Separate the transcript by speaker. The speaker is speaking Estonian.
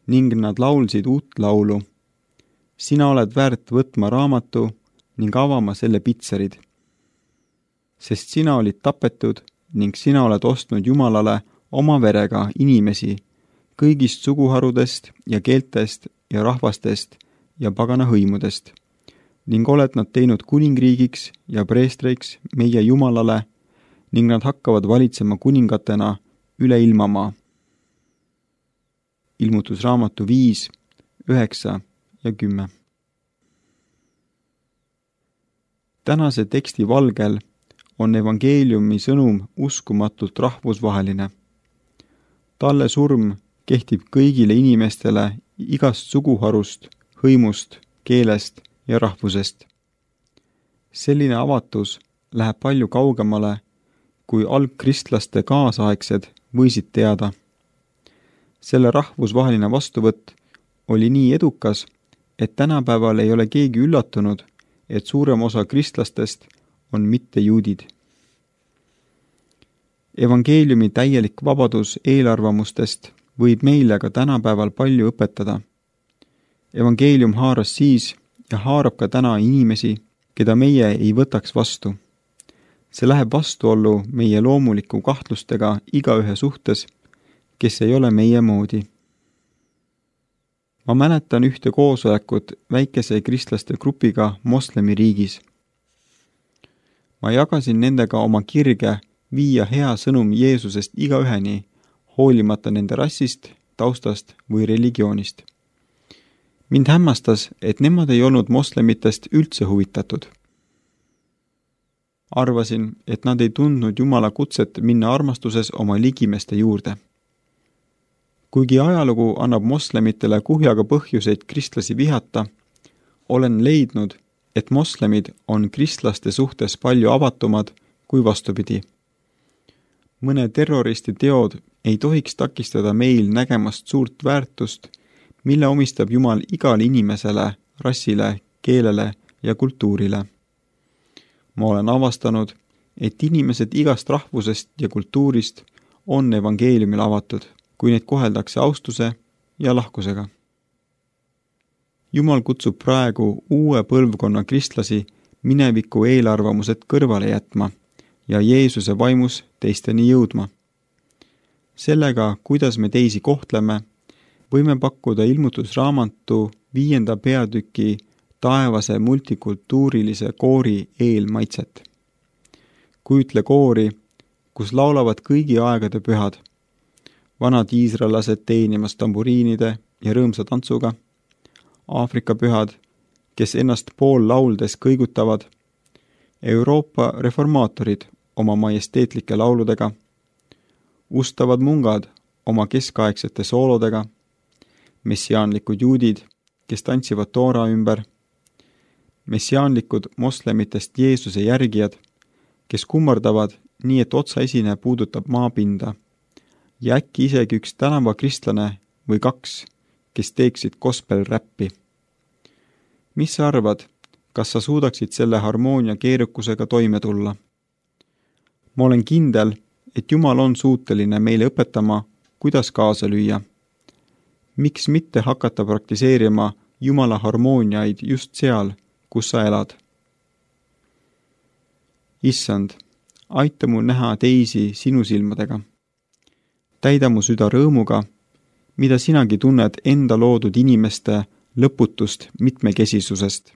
Speaker 1: ning nad laulsid uut laulu. Sina oled väärt võtma raamatu ning avama selle pitserid. Sest sina olid tapetud ning sina oled ostnud Jumalale oma verega inimesi kõigist suguharudest ja keeltest ja rahvastest ja pagana hõimudest ning oled nad teinud kuningriigiks ja preestriks meie Jumalale ning nad hakkavad valitsema kuningatena üle ilmamaa. Ilmutusraamatu 5, 9 ja 10. Tänase teksti valgel on evangeeliumi sõnum uskumatult rahvusvaheline. Talle surm kehtib kõigile inimestele igast suguharust, hõimust, keelest ja rahvusest. Selline avatus läheb palju kaugemale, kui algkristlaste kaasaegsed võisid teada. Selle rahvusvaheline vastuvõtt oli nii edukas, et tänapäeval ei ole keegi üllatunud, et suurem osa kristlastest on mitte juudid. Evangeeliumi täielik vabadus eelarvamustest võib meile ka tänapäeval palju õpetada. Evangeelium haaras siis ja haarab ka täna inimesi, keda meie ei võtaks vastu. See läheb vastuollu meie loomuliku kahtlustega igaühe suhtes, kes ei ole meie moodi. Ma mäletan ühte koosolekut väikese kristlaste grupiga moslemi riigis. Ma jagasin nendega oma kirge viia hea sõnum Jeesusest igaüheni, hoolimata nende rassist, taustast või religioonist. Mind hämmastas, et nemad ei olnud moslemitest üldse huvitatud. Arvasin, et nad ei tundnud Jumala kutset minna armastuses oma ligimeste juurde. Kuigi ajalugu annab moslemitele kuhjaga põhjuseid kristlasi vihata, olen leidnud, et moslemid on kristlaste suhtes palju avatumad kui vastupidi. Mõne terroristi teod ei tohiks takistada meil nägemast suurt väärtust, mille omistab Jumal igale inimesele, rassile, keelele ja kultuurile. Ma olen avastanud, et inimesed igast rahvusest ja kultuurist on evangeeliumil avatud, kui neid koheldakse austuse ja lahkusega. Jumal kutsub praegu uue põlvkonna kristlasi mineviku eelarvamused kõrvale jätma ja Jeesuse vaimus teisteni jõudma. Sellega, kuidas me teisi kohtleme, võime pakkuda ilmutusraamatu 5. peatüki taevase multikultuurilise koori eelmaitset. Kujutle koori, kus laulavad kõigi aegade pühad, vanad iisraelased teenimas tamburiinide ja rõõmsa tantsuga, Aafrika pühad, kes ennast pool lauldes kõigutavad, Euroopa reformaatorid oma majesteetlike lauludega, ustavad mungad oma keskaegsete soolodega, messiaanlikud juudid, kes tantsivad Toora ümber, messiaanlikud moslemitest Jeesuse järgijad, kes kummardavad nii, et otsaesine puudutab maapinda, ja äkki isegi üks tänavakristlane või 2, kes teeksid gospel-räppi. Mis sa arvad, kas sa suudaksid selle harmoonia keerukusega toime tulla? Ma olen kindel, et Jumal on suuteline meile õpetama, kuidas kaasa lüüa. Miks mitte hakata praktiseerima Jumala harmooniaid just seal, kus sa elad? Issand, aita mu näha teisi sinu silmadega. Täida mu süda rõõmuga, mida sinagi tunned enda loodud inimeste lõputust mitmekesisusest.